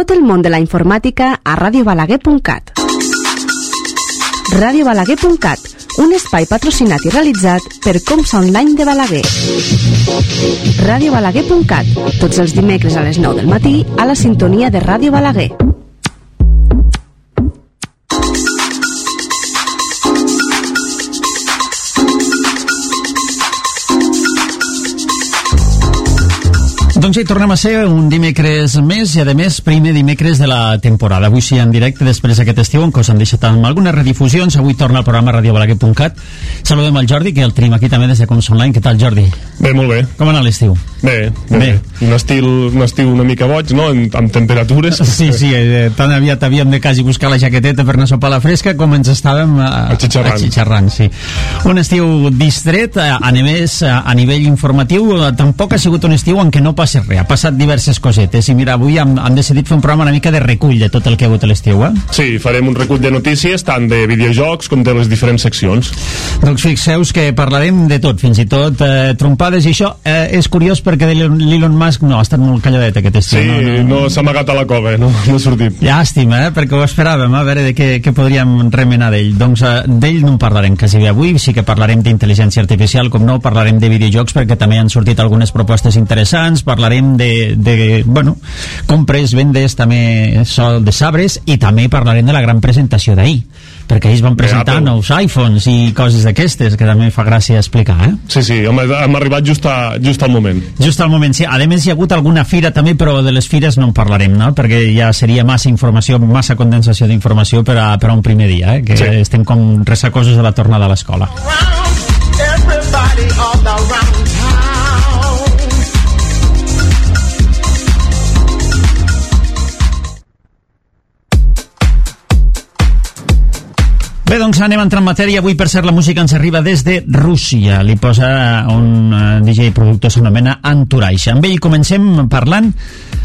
Tot el món de la informàtica a radiobalaguer.cat. radiobalaguer.cat, un espai patrocinat i realitzat per Comsa Online de Balaguer. radiobalaguer.cat, tots els dimecres a les 9 del matí a la sintonia de Ràdio Balaguer. Doncs ja hi tornem a ser un dimecres més i, a més, primer dimecres de la temporada. Avui sí en directe, després d'aquest estiu, en què us han deixat amb algunes redifusions. Avui torna al programa radiobalaguer.cat. Saludem al Jordi, que el tenim aquí també des de Comsa Online. Què tal, Jordi? Bé, molt bé. Com ha anat l'estiu? Bé. Un estiu una mica boig, no?, amb temperatures. Sí, tan aviat havíem de quasi buscar la jaqueteta per anar a sopar a la fresca com ens estàvem atxitxarrant. Sí. Un estiu distret, a nivell informatiu. Tampoc ha sigut un estiu en què no passa res, ha passat diverses cosetes i mira, avui hem decidit fer un programa una mica de recull de tot el que ha hagut a l'estiu, Sí, farem un recull de notícies tant de videojocs com de les diferents seccions. Doncs fixeu-vos que parlarem de tot, fins i tot trompades, i això és curiós perquè l'Elon Musk no ha estat molt calladet aquest estiu. Sí, no s'ha amagat a la cova, no ha sortit. Llàstima, perquè ho esperàvem, a veure de què podríem remenar d'ell. Doncs d'ell no en parlarem quasi bé avui, sí que parlarem d'intel·ligència artificial, com no, parlarem de videojocs perquè també han sortit algunes propostes interessants, parlarem de compres, vendes, també sol de sabres, i també parlarem de la gran presentació d'ahir, perquè ells van presentar nous iPhones i coses d'aquestes, que també fa gràcia explicar, Sí, hem arribat just al moment. Just al moment, sí. A més, hi ha hagut alguna fira també, però de les fires no en parlarem, no? Perquè ja seria massa informació, massa condensació d'informació per a un primer dia, que sí. Estem com ressacosos de la tornada a l'escola. Bé, doncs anem a entrar en matèria. Avui, per cert, la música ens arriba des de Rússia. Li posa un DJ productor, s'anomena Entourage. Amb ell comencem parlant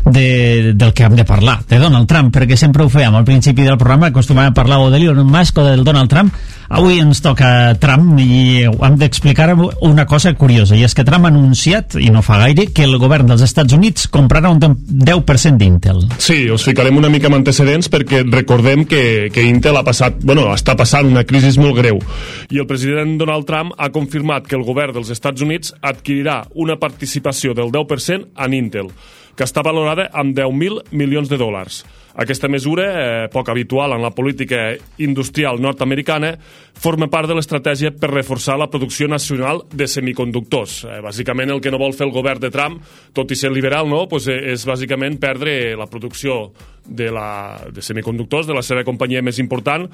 del que hem de parlar, de Donald Trump, perquè sempre ho fèiem al principi del programa, acostumàvem a parlar o de l'Elon Musk o del Donald Trump. Avui ens toca Trump i hem d'explicar una cosa curiosa, i és que Trump ha anunciat, i no fa gaire, que el govern dels Estats Units comprarà un 10% d'Intel. Sí, us ficarem una mica amb antecedents perquè recordem que Intel està passant una crisi molt greu, i el president Donald Trump ha confirmat que el govern dels Estats Units adquirirà una participació del 10% en Intel, que està valorada amb 10.000 milions de dòlars. Aquesta mesura, poc habitual en la política industrial nord-americana, forma part de l'estratègia per reforçar la producció nacional de semiconductors. Bàsicament el que no vol fer el govern de Trump, tot i ser liberal, és bàsicament perdre la producció de semiconductors de la seva companyia més important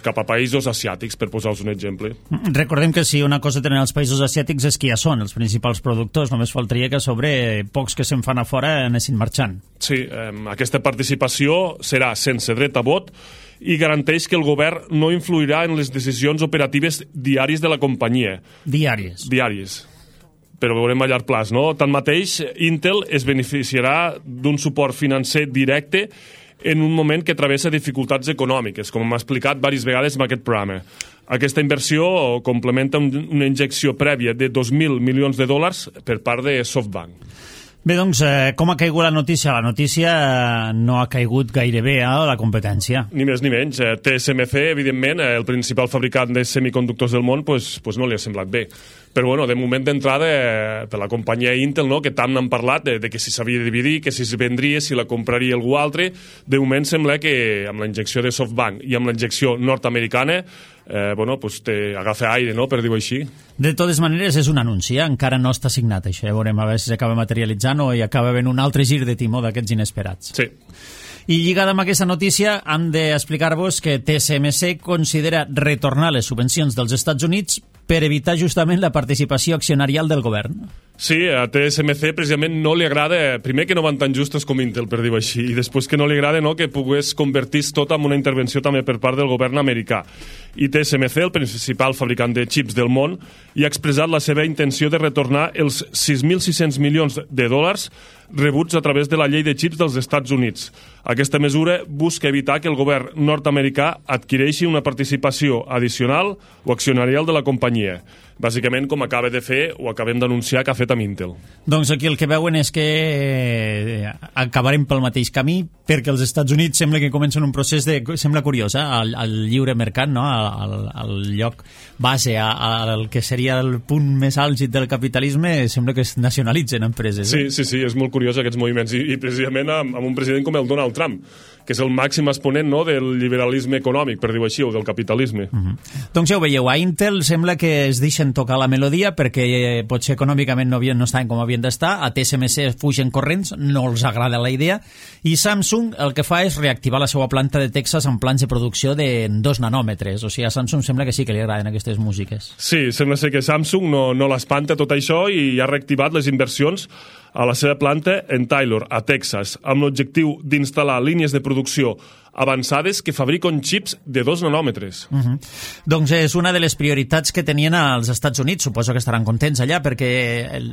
cap a països asiàtics, per posar-vos un exemple. Recordem que si una cosa tenen els països asiàtics és que ja són els principals productors, només faltaria que sobre pocs que se'n fan a fora anessin marxant. Sí, aquesta participació serà sense dret a vot i garanteix que el govern no influirà en les decisions operatives diàries de la companyia. Diàries. Però veurem a llarg plaç, no? Tanmateix, Intel es beneficiarà d'un suport financer directe en un moment que travessa dificultats econòmiques, com hem explicat diverses vegades en aquest programa. Aquesta inversió complementa una injecció prèvia de 2.000 milions de dòlars per part de SoftBank. Bé, doncs, com ha caigut la notícia? La notícia no ha caigut gaire bé a la competència. Ni més ni menys. TSMC, evidentment, el principal fabricant de semiconductors del món, no li ha semblat bé. Però, de moment d'entrada, per la companyia Intel, que tant n'han parlat de que si s'havia de dividir, que si es vendria, si la compraria algú altre, de moment sembla que amb la injecció de SoftBank i amb la injecció nord-americana agafa aire, no?, per dir-ho així. De totes maneres, és un anunci, encara no està signat això, veurem a veure si s'acaba materialitzant o hi acaba havent un altre gir de timó d'aquests inesperats. Sí. I lligada amb aquesta notícia, hem d'explicar-vos que TSMC considera retornar les subvencions dels Estats Units per evitar justament la participació accionarial del govern. Sí, a TSMC precisament no li agrada, primer que no van tan justes com Intel, per dir-ho així, i després que no li agrada que pogués convertir-se tot en una intervenció també per part del govern americà. I TSMC, el principal fabricant de xips del món, hi ha expressat la seva intenció de retornar els 6.600 milions de dòlars rebuts a través de la llei de xips dels Estats Units. Aquesta mesura busca evitar que el govern nord-americà adquireixi una participació addicional o accionarial de la companyia. bàsicament com acaba de fer o acabem d'anunciar que ha fet amb Intel. Doncs aquí el que veuen és que acabarem pel mateix camí, perquè els Estats Units sembla que comencen un procés sembla curiós, al lliure mercat, no? al lloc base, al que seria el punt més àlgid del capitalisme, sembla que es nacionalitzen empreses. Sí, és molt curiós aquests moviments, i precisament amb un president com el Donald Trump, que és el màxim exponent, no?, del liberalisme econòmic, per dir-ho així, o del capitalisme. Doncs ja ho veieu, a Intel sembla que es deixen tocar la melodia perquè potser econòmicament no estaven com havien d'estar, a TSMC fugen corrents, no els agrada la idea, i Samsung el que fa és reactivar la seva planta de Texas amb plans de producció de 2 nanòmetres. O sigui, a Samsung sembla que sí que li agraden aquestes músiques. Sí, sembla ser que Samsung no l'espanta tot això i ha reactivat les inversions a la seva planta en Taylor, a Texas, amb l'objectiu d'instal·lar línies de producció avançades que fabriquen xips de 2 nanòmetres. Doncs és una de les prioritats que tenien als Estats Units. Suposo que estaran contents allà, perquè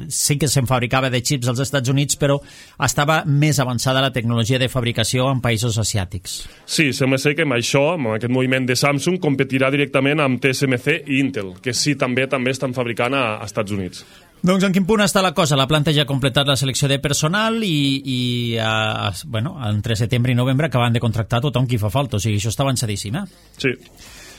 sí que se'n fabricava de xips als Estats Units, però estava més avançada la tecnologia de fabricació en països asiàtics. Sí, sembla ser que amb això, amb aquest moviment de Samsung, competirà directament amb TSMC i Intel, que sí, també estan fabricant a Estats Units. Doncs en quin punt està la cosa? La planta ja ha completat la selecció de personal i entre setembre i novembre acaben de contractar tothom qui fa falta, o sigui, això està avançadíssim, Sí.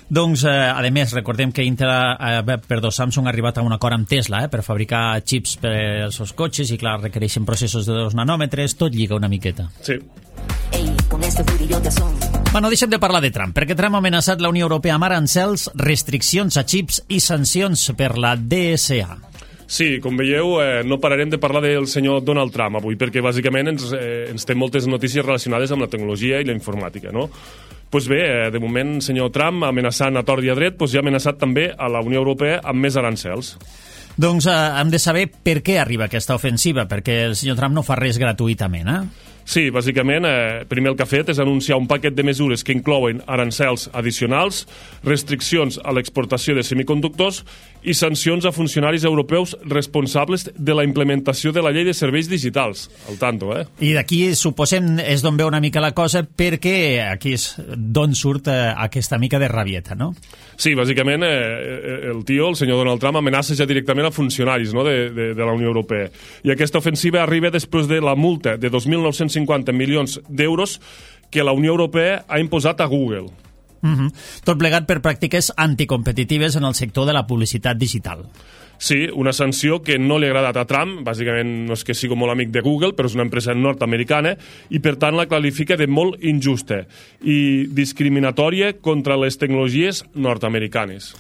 Doncs, a més, recordem que Samsung ha arribat a un acord amb Tesla per fabricar xips per als seus cotxes i, clar, requereixen processos de 2 nanòmetres, tot lliga una miqueta. Sí. Bueno, deixem de parlar de Trump, perquè Trump ha amenaçat la Unió Europea amb arancels, restriccions a xips i sancions per la DSA. Sí, com veieu, no pararem de parlar del senyor Donald Trump avui, perquè bàsicament ens té moltes notícies relacionades amb la tecnologia i la informàtica, no? Doncs bé, de moment, senyor Trump, amenaçant a tort i a dret, ja ha amenaçat també a la Unió Europea amb més arancels. Doncs hem de saber per què arriba aquesta ofensiva, perquè el senyor Trump no fa res gratuïtament, Sí, bàsicament, primer el que ha fet és anunciar un paquet de mesures que inclouen arancels addicionals, restriccions a l'exportació de semiconductors i sancions a funcionaris europeus responsables de la implementació de la llei de serveis digitals. Al tanto, I d'aquí, suposem, és d'on ve una mica la cosa, perquè aquí és d'on surt aquesta mica de rabieta, no? Sí, bàsicament, el senyor Donald Trump, amenaça ja directament a funcionaris, no?, de la Unió Europea. I aquesta ofensiva arriba després de la multa de 2.950 milions d'euros que la Unió Europea ha imposat a Google. Tot plegat per pràctiques anticompetitives en el sector de la publicitat digital. Sí, una sanció que no li ha agradat a Trump, bàsicament no és que sigui molt amic de Google, però és una empresa nord-americana, i per tant la qualifica de molt injusta i discriminatòria contra les tecnologies nord-americanes.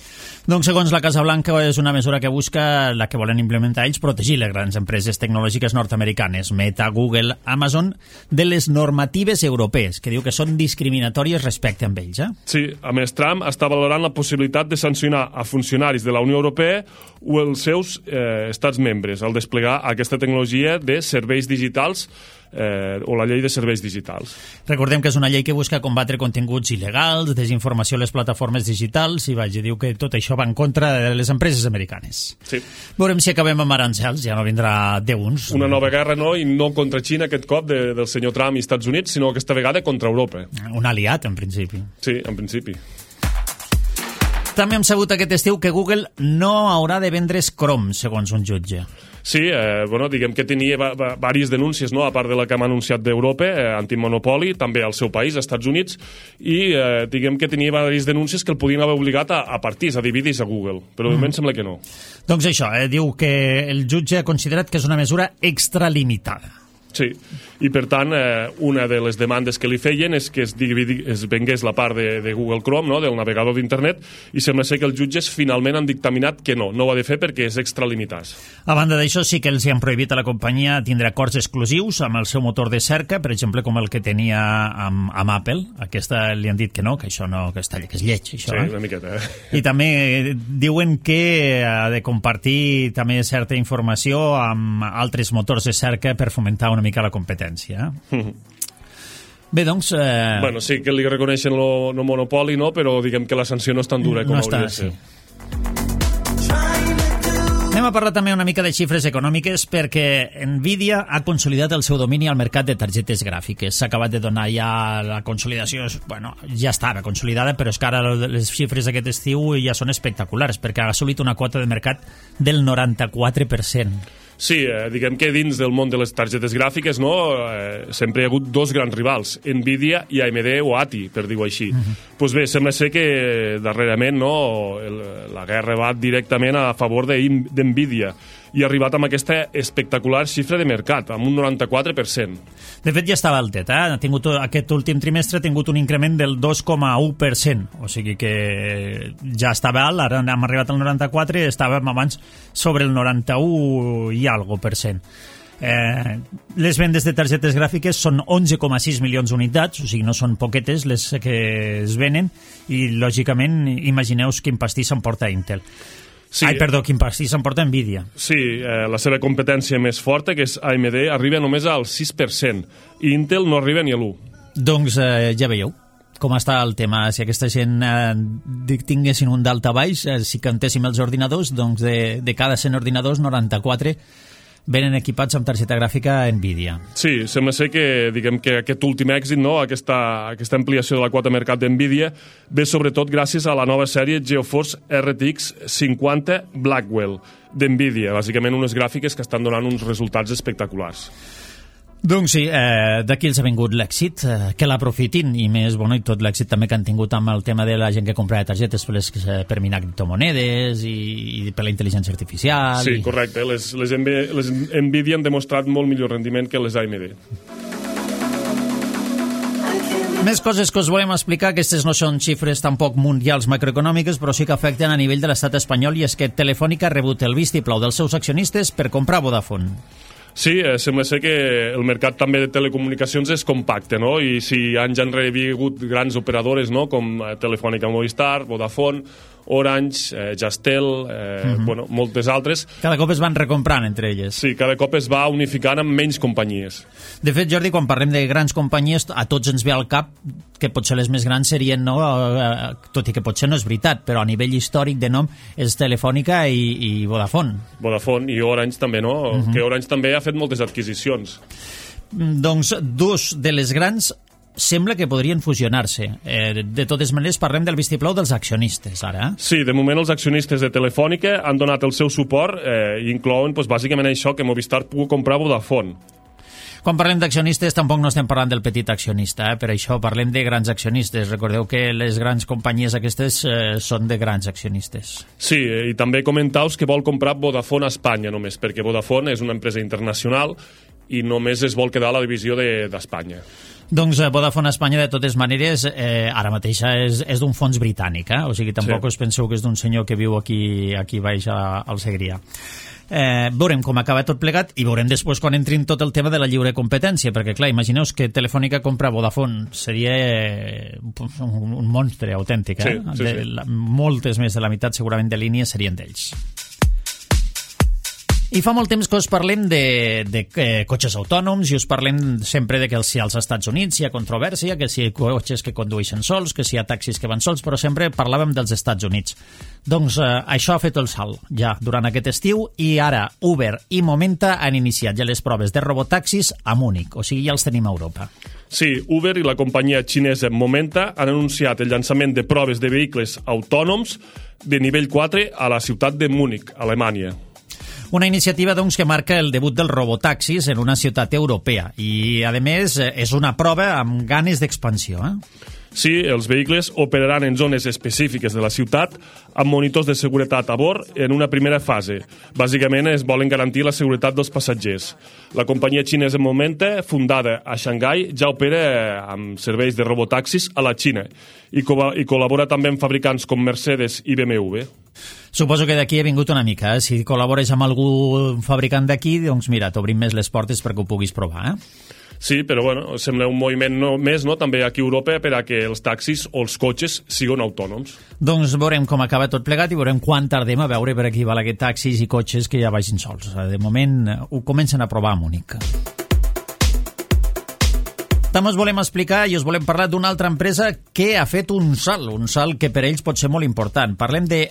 Doncs, segons la Casa Blanca, és una mesura que busca, la que volen implementar ells, protegir les grans empreses tecnològiques nord-americanes, Meta, Google, Amazon, de les normatives europees, que diu que són discriminatòries respecte a ells. Sí, a més, Trump està valorant la possibilitat de sancionar a funcionaris de la Unió Europea o els seus estats membres al desplegar aquesta tecnologia de serveis digitals o la llei de serveis digitals. Recordem que és una llei que busca combatre continguts il·legals, desinformació a les plataformes digitals, i diu que tot això va en contra de les empreses americanes. Sí. Veurem si acabem amb arancels, ja no vindrà d'uns. Una nova guerra, no? I no contra Xina aquest cop del senyor Trump i Estats Units, sinó aquesta vegada contra Europa. Un aliat, en principi. Sí, en principi. També hem sabut aquest estiu que Google no haurà de vendre's Chrome, segons un jutge. Sí, diguem que tenia diverses denúncies, no?, a part de la que hem anunciat d'Europa, antimonopoli, també al seu país, als Estats Units, i diguem que tenia diverses denúncies que el podien haver obligat a partits, a dividir-se a Google, però de moment sembla que no. Doncs això, diu que el jutge ha considerat que és una mesura extralimitada. Sí, i per tant, una de les demandes que li feien és que es vengués la part de Google Chrome, no?, del navegador d'internet, i sembla ser que els jutges finalment han dictaminat que no ho ha de fer perquè és extralimitat. A banda d'això, sí que els han prohibit a la companyia tindre acords exclusius amb el seu motor de cerca, per exemple, com el que tenia amb Apple. Aquesta li han dit que no, que això no, que és lleig, això. Sí, una miqueta. I també diuen que ha de compartir també certa informació amb altres motors de cerca per fomentar una mica la competència. Bé, doncs... Bueno, sí que li reconeixen el monopoli, no? Però diguem que la sanció no és tan dura com hauria de ser. Anem a parlar també una mica de xifres econòmiques perquè Nvidia ha consolidat el seu domini al mercat de targetes gràfiques. S'ha acabat de donar ja la consolidació, bueno, ja estava consolidada, però és que ara les xifres d'aquest estiu ja són espectaculars perquè ha assolit una quota de mercat del 94%. Sí, diguem que dins del món de les targetes gràfiques sempre hi ha hagut dos grans rivals, Nvidia i AMD o ATI, per dir-ho així. Doncs bé, sembla ser que darrerament la guerra va directament a favor d'Nvidia i ha arribat amb aquesta espectacular xifra de mercat, amb un 94%. De fet, ja estava altet, aquest últim trimestre ha tingut un increment del 2,1%, o sigui que ja estava alt, ara hem arribat al 94%, estàvem abans sobre el 91 i algo per cent. Les vendes de targetes gràfiques són 11,6 milions d'unitats, o sigui, no són poquetes les que es venen, i lògicament imagineu quin pastís s'emporta Intel. Sí. Quin pastís s'emporta Nvidia. Sí, la seva competència més forta, que és AMD, arriba només al 6%, i Intel no arriba ni a l'1%. Doncs ja veieu com està el tema. Si aquesta gent tinguessin un daltabaix, si cantéssim els ordinadors, doncs de cada 100 ordinadors, 94 venen equipats amb targeta gràfica Nvidia. Sí, sembla ser que, diguem que aquest últim èxit, aquesta ampliació de la quota de mercat d'Nvidia, ve sobretot gràcies a la nova sèrie GeForce RTX 50 Blackwell d'Nvidia, bàsicament unes gràfiques que estan donant uns resultats espectaculars. Doncs sí, d'aquí els ha vingut l'èxit, que l'aprofitin, i més, i tot l'èxit també que han tingut amb el tema de la gent que compra targetes per minar criptomonedes i per la intel·ligència artificial. Sí, correcte, les Nvidia han demostrat molt millor rendiment que les AMD. Més coses que us volem explicar, aquestes no són xifres tampoc mundials macroeconòmiques, però sí que afecten a nivell de l'estat espanyol, i és que Telefònica ha rebut el vistiplau dels seus accionistes per comprar Vodafone. Sí, sembla ser que el mercat també de telecomunicacions és compacte, no? I si anys enrere havia hagut grans operadores, no? Com Telefònica Movistar, Vodafone, Orange, Jastel, moltes altres. Cada cop es van recomprant entre elles. Sí, cada cop es va unificant amb menys companyies. De fet, Jordi, quan parlem de grans companyies, a tots ens ve al cap que potser les més grans serien, tot i que potser no és veritat, però a nivell històric de nom és Telefònica i Vodafone. Vodafone i Orange també, no? Que Orange també ha fet moltes adquisicions. Doncs dos de les grans sembla que podrien fusionar-se. De totes maneres, parlem del vistiplau dels accionistes, ara. Sí, de moment els accionistes de Telefònica han donat el seu suport i inclouen bàsicament això, que Movistar pugui comprar Vodafone. Quan parlem d'accionistes tampoc no estem parlant del petit accionista, per això parlem de grans accionistes. Recordeu que les grans companyies aquestes són de grans accionistes. Sí, i també comentaus que vol comprar Vodafone a Espanya només, perquè Vodafone és una empresa internacional i només es vol quedar a la divisió d'Espanya. Doncs Vodafone Espanya, de totes maneres, ara mateix és d'un fons britànic, o sigui, tampoc us penseu que és d'un senyor que viu aquí baix al Segrià. Veurem com acaba tot plegat i veurem després quan entrin tot el tema de la lliure competència, perquè clar, imagineu que Telefònica compra Vodafone, seria un monstre autèntic, Sí. Moltes més de la meitat segurament de línies serien d'ells. I fa molt temps que us parlem de cotxes autònoms i us parlem sempre de que si als Estats Units hi ha controvèrsia, que si hi ha cotxes que condueixen sols, que si hi ha taxis que van sols, però sempre parlàvem dels Estats Units. Doncs això ha fet el salt ja durant aquest estiu i ara Uber i Momenta han iniciat ja les proves de robotaxis a Múnich, o sigui, ja els tenim a Europa. Sí, Uber i la companyia xinesa Momenta han anunciat el llançament de proves de vehicles autònoms de nivell 4 a la ciutat de Múnich, Alemanya. Una iniciativa, doncs, que marca el debut dels robotaxis en una ciutat europea i, a més, és una prova amb ganes d'expansió, Sí, els vehicles operaran en zones específiques de la ciutat amb monitors de seguretat a bord en una primera fase. Bàsicament es volen garantir la seguretat dels passatgers. La companyia xinesa Momenta, fundada a Xangai, ja opera amb serveis de robotaxis a la Xina i col·labora també amb fabricants com Mercedes i BMW. Suposo que d'aquí he vingut una mica. Si col·labores amb algun fabricant d'aquí, doncs mira, t'obrim més les portes perquè ho puguis provar, Sí, però sembla un moviment més, també aquí a Europa, per a que els taxis o els cotxes siguin autònoms. Doncs veurem com acaba tot plegat i veurem quan tardem a veure per aquí val aquests taxis i cotxes que ja vagin sols. De moment ho comencen a provar a Múnich. També us volem explicar i us volem parlar d'una altra empresa que ha fet un salt que per ells pot ser molt important. Parlem de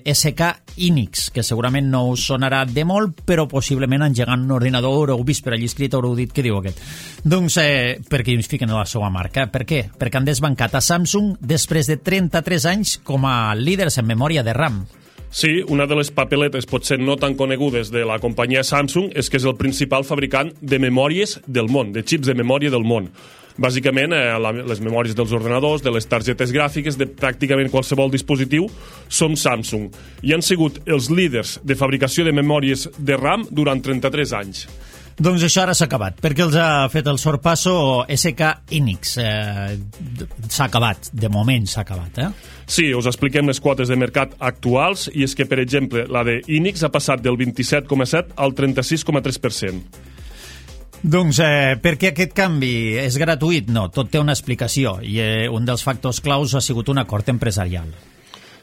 SK Hynix, que segurament no us sonarà de molt, però possiblement engegant un ordinador haureu vist per allà escrit, haureu dit què diu aquest. Doncs perquè ens fiquen a la seva marca. Per què? Perquè han desbancat a Samsung després de 33 anys com a líders en memòria de RAM. Sí, una de les papeletes potser no tan conegudes de la companyia Samsung és que és el principal fabricant de memòries del món, de xips de memòria del món. Bàsicament, les memòries dels ordenadors, de les targetes gràfiques, de pràcticament qualsevol dispositiu, són Samsung. I han sigut els líders de fabricació de memòries de RAM durant 33 anys. Doncs això ara s'ha acabat, perquè els ha fet el sorpasso SK Hynix. S'ha acabat, de moment s'ha acabat, Sí, us expliquem les quotes de mercat actuals, i és que, per exemple, la de Hynix ha passat del 27,7% al 36,3%. Doncs per què aquest canvi és gratuït? No, tot té una explicació, i un dels factors claus ha sigut un acord empresarial.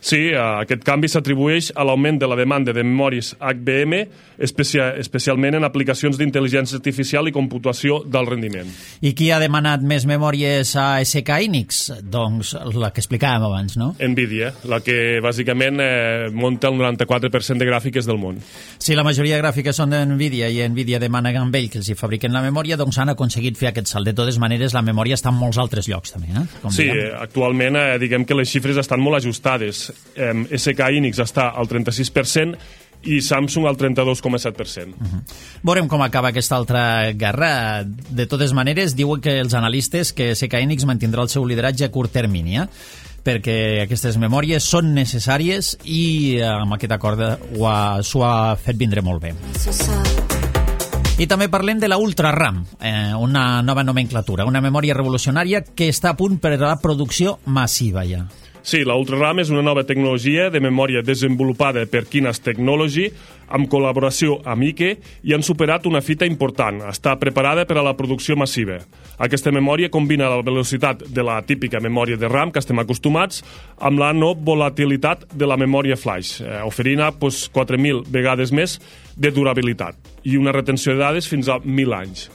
Sí, aquest canvi s'atribueix a l'augment de la demanda de memòries HBM, especialment en aplicacions d'intel·ligència artificial i computació d'alt rendiment. I qui ha demanat més memòries a SK Hynix? Doncs la que explicàvem abans, no? Nvidia, la que bàsicament munta el 94% de gràfiques del món. Si la majoria de gràfiques són d'Nvidia i Nvidia demana amb ell que els hi fabriquen la memòria, doncs han aconseguit fer aquest salt. De totes maneres, la memòria està en molts altres llocs, també. Sí, actualment diguem que les xifres estan molt ajustades. SK Hynix està al 36% i Samsung al 32,7%. Veurem com acaba aquesta altra guerra. De totes maneres, diuen que els analistes que SK Hynix mantindrà el seu lideratge a curt termini, perquè aquestes memòries són necessàries i amb aquest acord s'ho ha fet vindre molt bé. I també parlem de la Ultra RAM, una nova nomenclatura, una memòria revolucionària que està a punt per a la producció massiva ja. Sí, la Ultra RAM és una nova tecnologia de memòria desenvolupada per Kinas Technology amb col·laboració amb Ike i han superat una fita important. Està preparada per a la producció massiva. Aquesta memòria combina la velocitat de la típica memòria de RAM que estem acostumats amb la no volatilitat de la memòria flash, oferint 4.000 vegades més de durabilitat i una retenció de dades fins a 1.000 anys.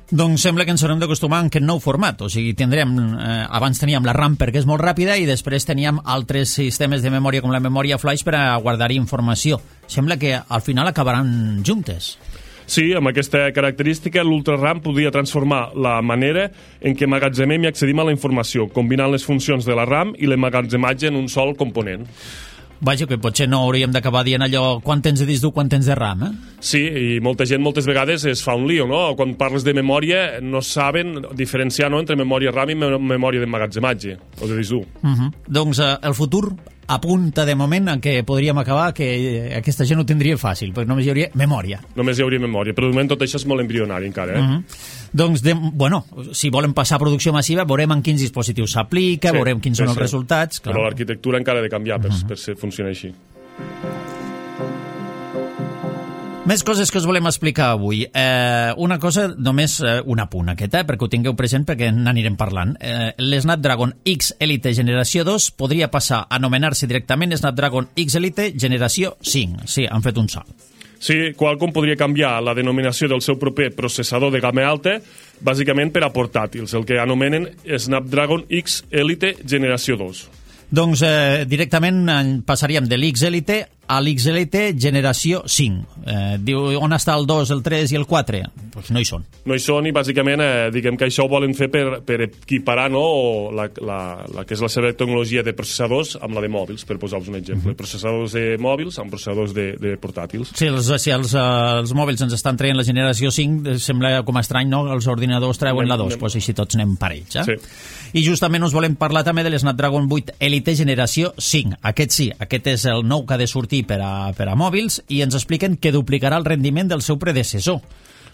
Doncs sembla que ens haurem d'acostumar a aquest nou format, o sigui, abans teníem la RAM perquè és molt ràpida i després teníem altres sistemes de memòria com la memòria flash per a guardar informació. Sembla que al final acabaran juntes. Sí, amb aquesta característica, l'Ultra RAM podria transformar la manera en què emmagatzemem i accedim a la informació, combinant les funcions de la RAM i l'emmagatzematge en un sol component. Vaja, que potser no hauríem d'acabar dient allò quan tens de disc dur, quan tens de RAM, Sí, i molta gent moltes vegades es fa un lío, no? Quan parles de memòria no saben diferenciar entre memòria RAM i memòria d'emmagatzematge, o de disc dur. Doncs el futur apunta de moment a que podríem acabar que aquesta gent ho tindria fàcil, perquè només hi hauria memòria. Només hi hauria memòria, però de moment tot això és molt embrionari encara, Doncs, si volen passar a producció massiva, veurem en quins dispositius s'aplica, veurem quins són els resultats. Però l'arquitectura encara ha de canviar per funcionar així. Més coses que us volem explicar avui. Una cosa, només un apunt aquest, perquè ho tingueu present perquè n'anirem parlant. L'Snapdragon X Elite Generació 2 podria passar a anomenar-se directament Snapdragon X Elite Generació 5. Sí, han fet un salt. Sí, Qualcomm podria canviar la denominació del seu proper processador de gamma alta bàsicament per a portàtils, el que anomenen Snapdragon X Elite Generació 2. Doncs directament passaríem de l'X Elite a l'X Elite Generació 5. Diu, on està el 2, el 3 i el 4? Doncs no hi són. No hi són i bàsicament diguem que això ho volen fer per equiparar la que és la seva tecnologia de processadors amb la de mòbils, per posar-vos un exemple. Processadors de mòbils amb processadors de portàtils. Sí, si els mòbils ens estan traient la generació 5, sembla com estrany, no? Els ordinadors treuen la 2, doncs així tots anem parells. Sí. I justament us volem parlar també de l'Snapdragon 8 Elite Generació 5. Aquest sí, aquest és el nou que ha de sortir per a mòbils i ens expliquen que duplicarà el rendiment del seu predecessor.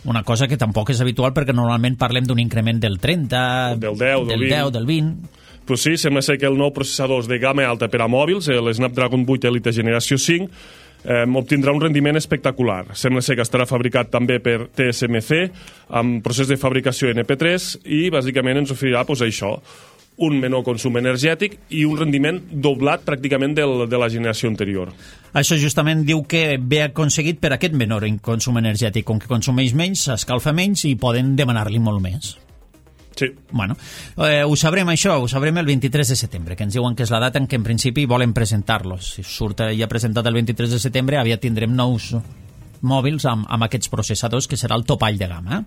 Una cosa que tampoc és habitual perquè normalment parlem d'un increment del 30, del 10, del 20. Pues sí, sembla ser que el nou processador de gamma alta per a mòbils, l'Snapdragon 8 Elite Generació 5, obtindrà un rendiment espectacular. Sembla ser que estarà fabricat també per TSMC, amb procés de fabricació NP3, i bàsicament ens oferirà això, un menor consum energètic i un rendiment doblat pràcticament de la generació anterior. Això justament diu que ve aconseguit per aquest menor consum energètic. Com que consumeix menys, s'escalfa menys i poden demanar-li molt més. Sí. Bueno, ho sabrem això, ho sabrem el 23 de setembre, que ens diuen que és la data en què en principi volen presentar-los. Si surt ja presentat el 23 de setembre, aviat tindrem nous mòbils amb aquests processadors, que serà el topall de gamma.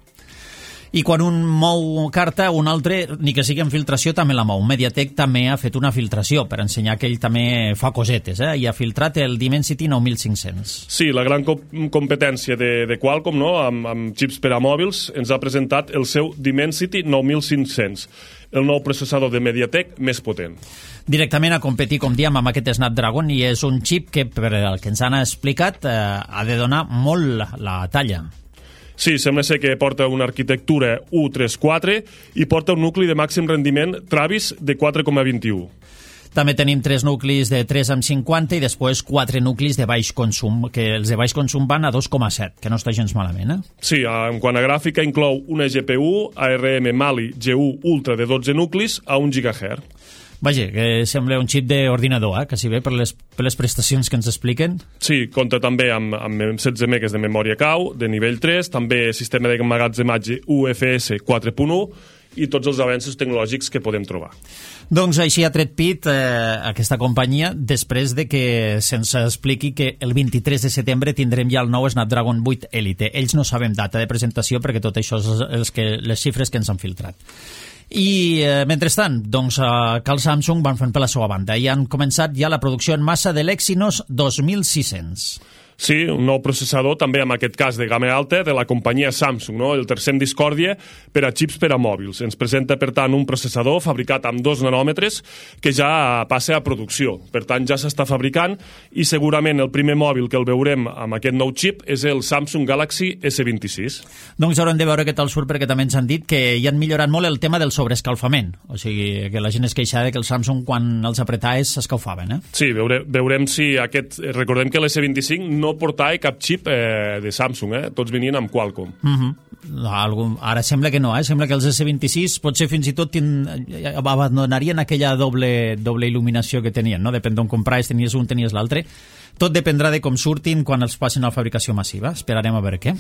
I quan un mou carta, un altre, ni que sigui en filtració, també la mou. MediaTek també ha fet una filtració per ensenyar que ell també fa cosetes, i ha filtrat el Dimensity 9500. Sí, la gran competència de Qualcomm, no? amb xips per a mòbils, ens ha presentat el seu Dimensity 9500, el nou processador de MediaTek més potent. Directament a competir, com diem, amb aquest Snapdragon, i és un xip que, per el que ens han explicat, ha de donar molt la talla. Sí, sembla ser que porta una arquitectura U34 i porta un nucli de màxim rendiment Travis de 4,21. També tenim 3 nuclis de 3,50 i després 4 nuclis de baix consum, que els de baix consum van a 2,7, que no està gens malament, Sí, en quant a gràfica inclou una GPU ARM Mali G1 Ultra de 12 nuclis a 1 GHz. Vaja, que sembla un xip d'ordinador, que si bé per les prestacions que ens expliquen. Sí, compta també amb 16 megas de memòria cau, de nivell 3, també sistema d'emmagatzematge UFS 4.1 i tots els avenços tecnològics que podem trobar. Doncs així ha tret pit aquesta companyia després de que se'ns expliqui que el 23 de setembre tindrem ja el nou Snapdragon 8 Elite. Ells no sabem data de presentació perquè tot això és les xifres que ens han filtrat. I mentrestant, doncs, Cal Samsung van fent per la seva banda i han començat ja la producció en massa de l'Exynos 2600. Sí, un nou processador, també en aquest cas de gamma alta, de la companyia Samsung, no? El tercer en discòrdia per a xips per a mòbils. Ens presenta, per tant, un processador fabricat amb 2 nanòmetres que ja passa a producció. Per tant, ja s'està fabricant i segurament el primer mòbil que el veurem amb aquest nou xip és el Samsung Galaxy S26. Doncs haurem de veure què tal surt, perquè també ens han dit que hi han millorat molt el tema del sobreescalfament. O sigui, que la gent es queixava que el Samsung, quan els apretaves, s'escalfaven, Sí, veurem si aquest... Recordem que l'S25 no portava cap xip de Samsung, tots venien amb Qualcomm. Ara sembla que no, sembla que els S26 potser fins i tot abandonarien aquella doble il·luminació que tenien, no? Depèn d'on compraves, tenies un, tenies l'altre. Tot dependrà de com surtin quan els passin a la fabricació massiva. Esperarem a veure què.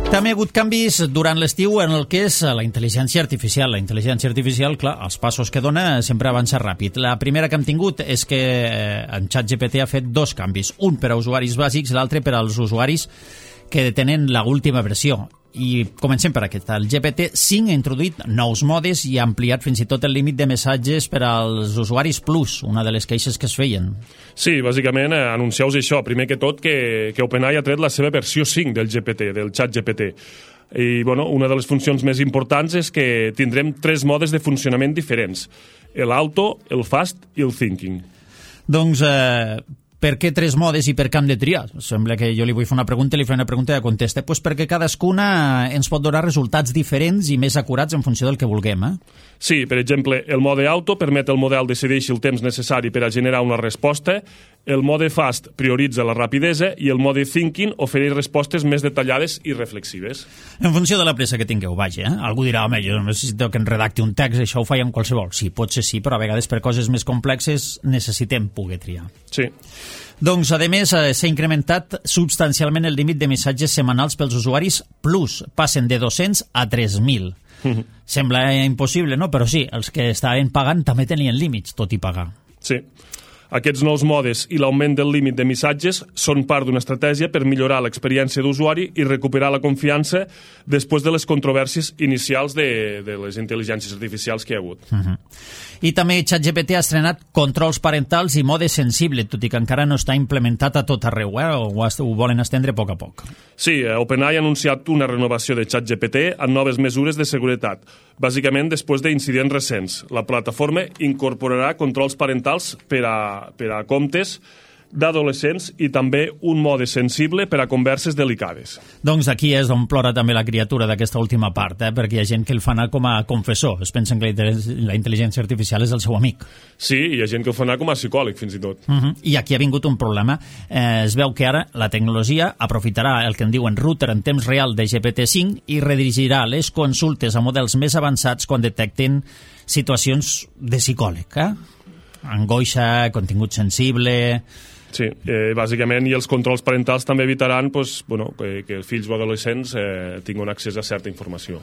També ha hagut canvis durant l'estiu en el que és la intel·ligència artificial. La intel·ligència artificial, clar, els passos que dona sempre avança ràpid. La primera que hem tingut és que en ChatGPT ha fet 2 canvis. Un per a usuaris bàsics, l'altre per als usuaris que tenen l'última versió. I comencem per aquest. El GPT-5 ha introduït nous modes i ha ampliat fins i tot el límit de missatges per als usuaris Plus, una de les queixes que es feien. Sí, bàsicament anuncieu això. Primer que tot que OpenAI ha tret la seva versió 5 del GPT, del ChatGPT. I bueno, una de les funcions més importants és que tindrem 3 modes de funcionament diferents. L'auto, el fast i el thinking. Doncs... per què 3 modes i per què hem de triar? Sembla que jo li vull fer una pregunta i li faré una pregunta i contesta. Pues perquè cadascuna ens pot donar resultats diferents i més acurats en funció del que vulguem. Sí, per exemple, el mode auto permet al model decidir el temps necessari per a generar una resposta, el mode fast prioritza la rapidesa i el mode thinking ofereix respostes més detallades i reflexives. En funció de la pressa que tingueu, vaja. Algú dirà, home, jo necessito que em redacti un text, això ho faig amb qualsevol. Sí, potser sí, però a vegades per coses més complexes necessitem poder triar. Sí. Doncs, a més, s'ha incrementat substancialment el límit de missatges setmanals pels usuaris Plus. Passen de 200 a 3.000. Sembla impossible, no? Però sí, els que estaven pagant també tenien límits, tot i pagar. Sí. Aquests nous modes i l'augment del límit de missatges són part d'una estratègia per millorar l'experiència d'usuari i recuperar la confiança després de les controvèrsies inicials de les intel·ligències artificials que hi ha hagut. I també ChatGPT ha estrenat controls parentals i mode sensible, tot i que encara no està implementat a tot arreu, ho volen estendre a poc a poc. Sí, OpenAI ha anunciat una renovació de ChatGPT amb noves mesures de seguretat. Bàsicament, després d'incidents recents, la plataforma incorporarà controls parentals per a comptes d'adolescents i també un mode sensible per a converses delicades. Doncs aquí és on plora també la criatura d'aquesta última part, perquè hi ha gent que el fa anar com a confessor. Es pensen que la intel·ligència artificial és el seu amic. Sí, hi ha gent que el fa anar com a psicòleg, fins i tot. I aquí ha vingut un problema. Es veu que ara la tecnologia aprofitarà el que en diuen router en temps real de GPT-5 i redirigirà les consultes a models més avançats quan detecten situacions de psicòleg, angoixa, contingut sensible... Sí, bàsicament, i els controls parentals també evitaran pues, bueno, que els fills o adolescents tinguin accés a certa informació.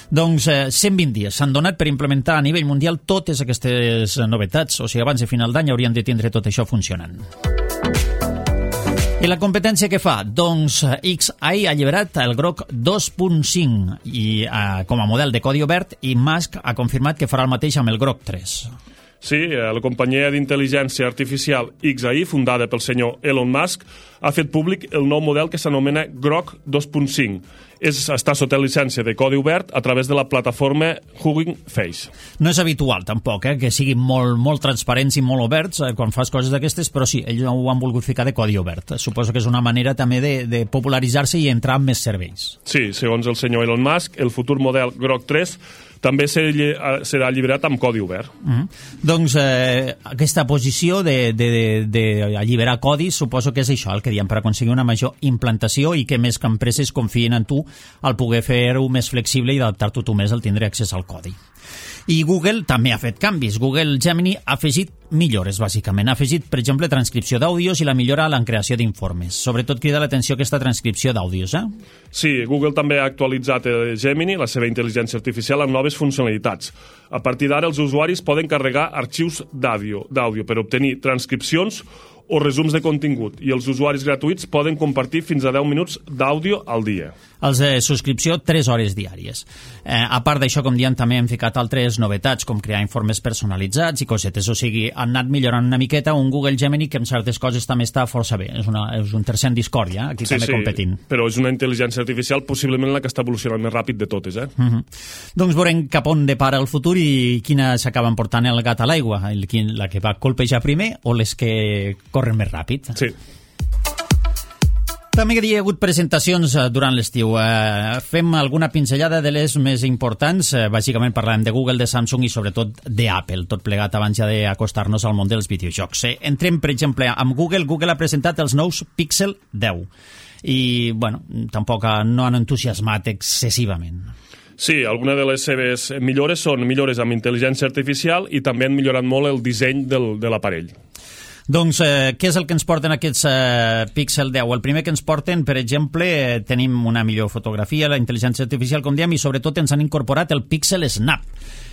Doncs 120 dies s'han donat per implementar a nivell mundial totes aquestes novetats, o sigui, abans de final d'any haurien de tindre tot això funcionant. I la competència què fa? Doncs XAI ha alliberat el Grok 2.5 i com a model de codi obert, i Musk ha confirmat que farà el mateix amb el Grok 3. Sí, la companyia d'intel·ligència artificial XAI, fundada pel senyor Elon Musk, ha fet públic el nou model que s'anomena Grok 2.5. Està sota llicència de codi obert a través de la plataforma Hugging Face. No és habitual, tampoc, que siguin molt transparents i molt oberts quan fas coses d'aquestes, però sí, ells ho han volgut ficar de codi obert. Suposo que és una manera també de popularitzar-se i entrar en més serveis. Sí, segons el senyor Elon Musk, el futur model Grok 3 també serà alliberat amb codi obert. Doncs aquesta posició d'alliberar codis suposo que és això el que diem, per aconseguir una major implantació i que més que empreses confien en tu al poder fer-ho més flexible i adaptar-t'ho tu més al tindre accés al codi. I Google també ha fet canvis. Google Gemini ha afegit millores, bàsicament. Ha afegit, per exemple, transcripció d'àudios i la millora en la creació d'informes. Sobretot crida l'atenció aquesta transcripció d'àudios, Sí, Google també ha actualitzat Gemini, la seva intel·ligència artificial, amb noves funcionalitats. A partir d'ara, els usuaris poden carregar arxius d'àudio per obtenir transcripcions o resums de contingut, i els usuaris gratuïts poden compartir fins a 10 minuts d'àudio al dia. Els de subscripció, 3 hores diàries. A part d'això, com diem, també hem ficat altres novetats, com crear informes personalitzats i cosetes. O sigui, han anat millorant una miqueta un Google Gemini que en certes coses també està força bé. És un tercer en discòrdia, aquí també competint. Però és una intel·ligència artificial possiblement la que està evolucionant més ràpid de totes. Doncs veurem cap on depara el futur i quina s'acaba portant el gat a l'aigua, la que va colpejar primer o les que corren més ràpid. Sí. També hi ha hagut presentacions durant l'estiu. Fem alguna pinzellada de les més importants. Bàsicament parlem de Google, de Samsung i sobretot d'Apple, tot plegat abans ja d'acostar-nos al món dels videojocs. Entrem, per exemple, amb Google. Google ha presentat els nous Pixel 10 i, bueno, tampoc no han entusiasmat excessivament. Sí, alguna de les seves millores són millores amb intel·ligència artificial i també han millorat molt el disseny de l'aparell. Doncs què és el que ens porten aquests Pixel 10? El primer que ens porten, per exemple, tenim una millor fotografia, la intel·ligència artificial, com diem, i sobretot ens han incorporat el Pixel Snap.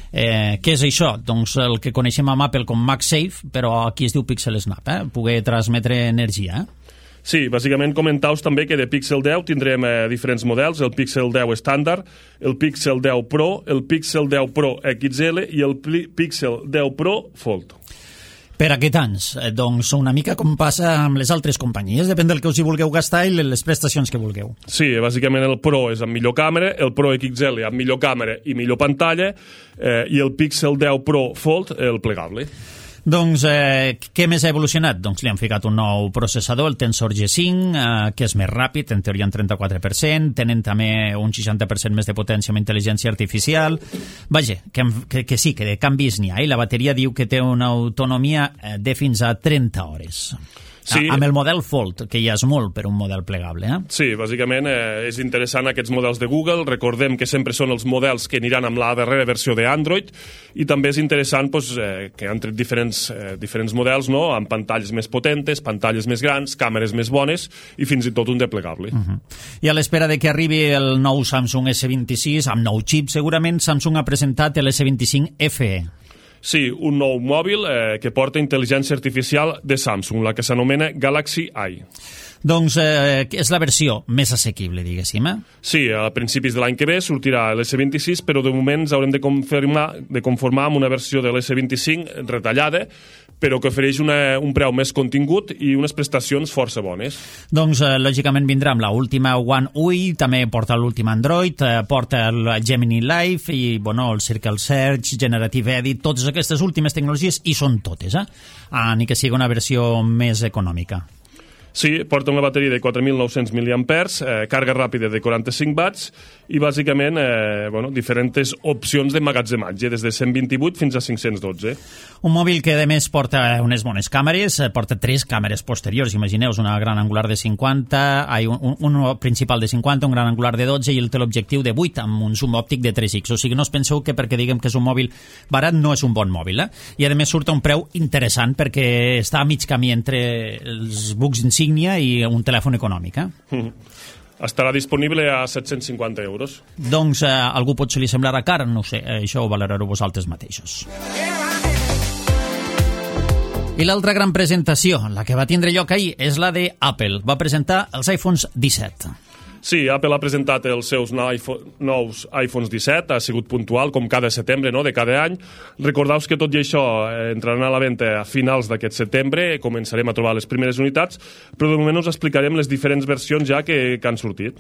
Què és això? Doncs el que coneixem amb Apple com MagSafe, però aquí es diu Pixel Snap, poder transmetre energia. Sí, bàsicament comentaus també que de Pixel 10 tindrem diferents models, el Pixel 10 estàndard, el Pixel 10 Pro, el Pixel 10 Pro XL i el Pixel 10 Pro Fold. Per a què tants? Doncs una mica com passa amb les altres companyies, depèn del que us hi vulgueu gastar i les prestacions que vulgueu. Sí, bàsicament el Pro és amb millor càmera, el Pro XL amb millor càmera i millor pantalla, i el Pixel 10 Pro Fold, el plegable. Doncs què més ha evolucionat? Doncs li han ficat un nou processador, el Tensor G5, que és més ràpid, en teoria en 34%, tenen també un 60% més de potència amb intel·ligència artificial. Vaja, que sí, que de canvis n'hi ha, i la bateria diu que té una autonomia de fins a 30 hores. Sí. Amb el model Fold, que ja és molt per un model plegable. Sí, bàsicament és interessant aquests models de Google. Recordem que sempre són els models que aniran amb la darrera versió d'Android, i també és interessant que han tret diferents models, no? Amb pantalles més potentes, pantalles més grans, càmeres més bones i fins i tot un de plegable. I a l'espera de que arribi el nou Samsung S26, amb nou xip segurament, Samsung ha presentat l'S25 FE. Sí, un nou mòbil que porta intel·ligència artificial de Samsung, la que s'anomena Galaxy Eye. Doncs és la versió més assequible, diguéssim. Sí, a principis de l'any que ve sortirà l'S26, però de moment ens haurem de conformar amb una versió de l'S25 retallada, però que ofereix un preu més contingut i unes prestacions força bones. Doncs, lògicament, vindrà amb l'última One UI, també porta l'últim Android, porta el Gemini Live i, bueno, el Circle Search, Generative Edit, totes aquestes últimes tecnologies, i són totes, ni que sigui una versió més econòmica. Sí, porta una bateria de 4.900 mAh, càrrega ràpida de 45 watts i bàsicament diferents opcions d'emmagatzematge, des de 128 fins a 512. Un mòbil que a més porta unes bones càmeres, porta 3 càmeres posteriors, imagineu-vos, una gran angular de 50, un principal de 50, un gran angular de 12 i el teleobjectiu de 8 amb un zoom òptic de 3x. O sigui, no us penseu que perquè diguem que és un mòbil barat no és un bon mòbil, I a més surt a un preu interessant perquè està a mig camí entre els bucs insígnia i un telèfon econòmic, Estarà disponible a 750 euros. Doncs algú potser li semblarà car, no sé, això ho valorareu vosaltres mateixos. I l'altra gran presentació, la que va tindre lloc ahir, és la de Apple. Va presentar els iPhones 17. Sí, Apple ha presentat els seus nous iPhones 17, ha sigut puntual, com cada setembre, de cada any. Recordeu que tot i això entraran a la venda a finals d'aquest setembre, començarem a trobar les primeres unitats, però de moment us explicarem les diferents versions ja que han sortit.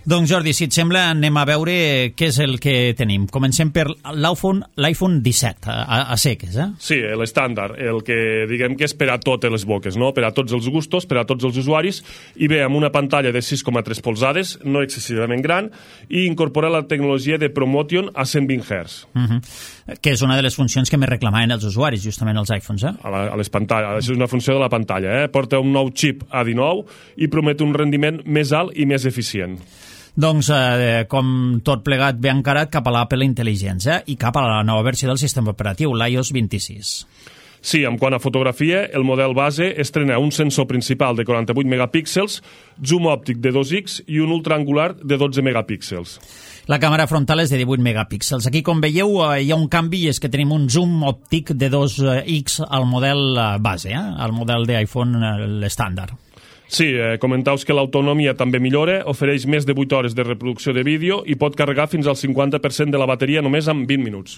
Doncs Jordi, si et sembla, anem a veure què és el que tenim. Comencem per l'iPhone 17, a seques, Sí, l'estàndard, el que diguem que és per a totes les boques, per a tots els gustos, per a tots els usuaris, i ve amb una pantalla de 6,3 polzades, no excessivament gran, i incorpora la tecnologia de ProMotion a 120 Hz. Que és una de les funcions que més reclamaven els usuaris, justament els iPhones, A les pantalles, això és una funció de la pantalla, Porta un nou xip A19 i promet un rendiment més alt i més eficient. Doncs, com tot plegat ve encarat cap a l'Apple Intelligence i cap a la nova versió del sistema operatiu, l'iOS 26. Sí, en quant a fotografia, el model base estrena un sensor principal de 48 megapíxels, zoom òptic de 2x i un ultraangular de 12 megapíxels. La càmera frontal és de 18 megapíxels. Aquí, com veieu, hi ha un canvi i és que tenim un zoom òptic de 2x al model base, al model d'iPhone l'estàndard. Sí, comentaus que l'autonomia també millora, ofereix més de 8 hores de reproducció de vídeo i pot carregar fins al 50% de la bateria només en 20 minuts.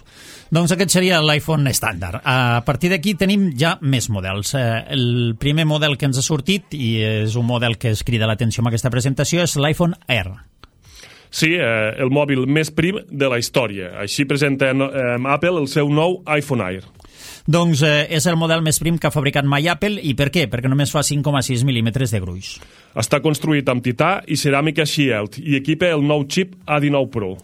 Doncs aquest seria l'iPhone estàndard. A partir d'aquí tenim ja més models. El primer model que ens ha sortit, i és un model que es crida l'atenció amb aquesta presentació, és l'iPhone Air. Sí, el mòbil més prim de la història. Així presenta Apple el seu nou iPhone Air. Doncs és el model més prim que ha fabricat mai Apple. I per què? Perquè només fa 5,6 mil·límetres de gruix. Està construït amb tità i ceràmica Shield i equipa el nou xip A19 Pro.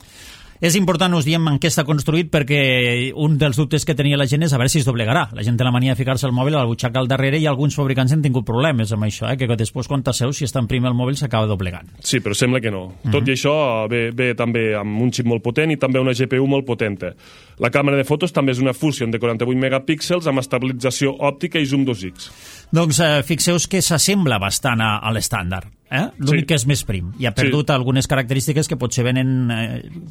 És important, us diem en què està construït, perquè un dels dubtes que tenia la gent és a veure si es doblegarà. La gent té la mania de ficar-se el mòbil a la butxaca al darrere i alguns fabricants han tingut problemes amb això, que després quan t'asseu, si està en prim el mòbil, s'acaba doblegant. Sí, però sembla que no. Tot i això ve també amb un xip molt potent i també una GPU molt potenta. La càmera de fotos també és una Fusion de 48 megapíxels amb estabilització òptica i zoom 2x. Doncs fixeu-vos que s'assembla bastant a l'estàndard. L'únic que és més prim i ha perdut algunes característiques que potser venen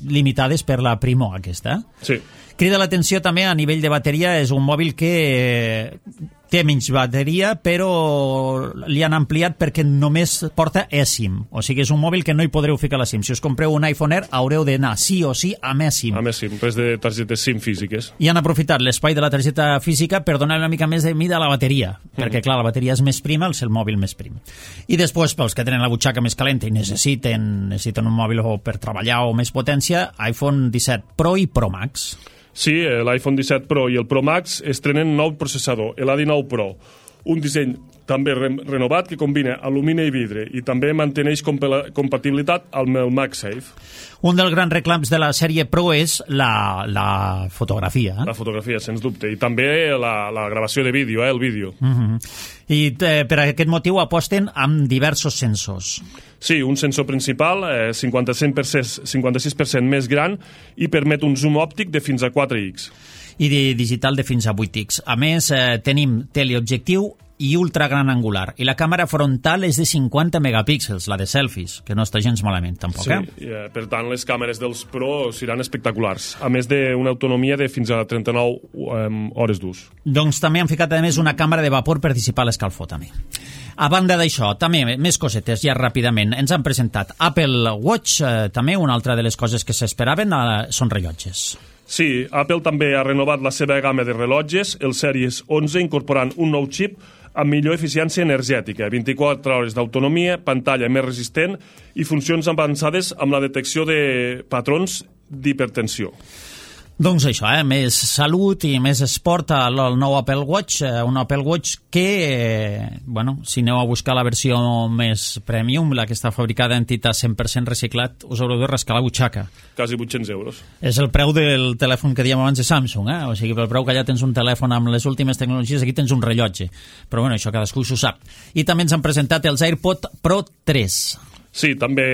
limitades per la primor aquesta. Sí. Crida l'atenció també a nivell de bateria, és un mòbil que té menys bateria, però li han ampliat perquè només porta eSIM. O sigui, és un mòbil que no hi podreu ficar la SIM. Si us compreu un iPhone Air, haureu d'anar sí o sí amb eSIM. Amb eSIM, res de targetes SIM físiques. I han aprofitat l'espai de la targeta física per donar una mica més de mida a la bateria, perquè, clar, la bateria és més prima, el mòbil més prim. I després, pels que tenen la butxaca més calenta i necessiten un mòbil per treballar o més potència, iPhone 17 Pro i Pro Max. Sí, l'iPhone 17 Pro i el Pro Max estrenen nou processador, l'A19 Pro. Un disseny també renovat que combina alumini i vidre i també manteneix compatibilitat amb el MagSafe. Un dels grans reclams de la sèrie Pro és la fotografia. La fotografia, sens dubte. I també la gravació de vídeo, el vídeo. I per aquest motiu aposten amb diversos sensors. Sí, un sensor principal, 56% més gran i permet un zoom òptic de fins a 4x. I de digital de fins a 8x. A més, tenim teleobjectiu i ultra gran angular. I la càmera frontal és de 50 megapíxels, la de selfies, que no està gens malament, tampoc. Sí, per tant, les càmeres dels Pro seran espectaculars, a més d'una autonomia de fins a 39 hores d'ús. Doncs també han ficat, a més, una càmera de vapor per dissipar l'escalfor, també. A banda d'això, també, més cosetes, ja ràpidament. Ens han presentat Apple Watch, també una altra de les coses que s'esperaven són rellotges. Sí, Apple també ha renovat la seva gamma de rellotges, el Series 11, incorporant un nou xip amb millor eficiència energètica, 24 hores d'autonomia, pantalla més resistent i funcions avançades amb la detecció de patrons d'hipertensió. Doncs això, més salut i més esport al nou Apple Watch, un Apple Watch que, si aneu a buscar la versió més premium, la que està fabricada en tità 100% reciclat, us haureu de rascar la butxaca. Quasi 800 euros. És el preu del telèfon que dèiem abans de Samsung, o sigui, pel preu que allà tens un telèfon amb les últimes tecnologies, aquí tens un rellotge. Però això cadascú s'ho sap. I també ens han presentat els AirPods Pro 3. Sí, també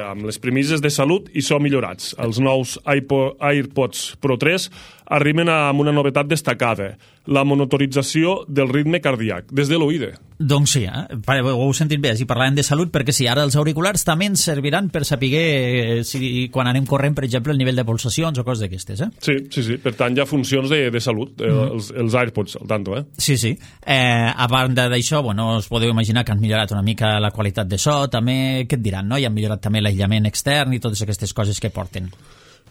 amb les premisses de salut i so millorats. Els nous AirPods Pro 3 arriben amb una novetat destacada, la monitorització del ritme cardíac, des de l'oïda. Doncs sí, ho heu sentit bé, si parlàvem de salut, perquè sí, ara els auriculars també ens serviran per saber si quan anem corrent, per exemple, el nivell de pulsacions o coses d'aquestes, Sí, per tant hi ha funcions de salut, els AirPods, al tanto, Sí. A banda d'això, us podeu imaginar que han millorat una mica la qualitat de so, també, què et diran, no? I han millorat també l'aïllament extern i totes aquestes coses que porten.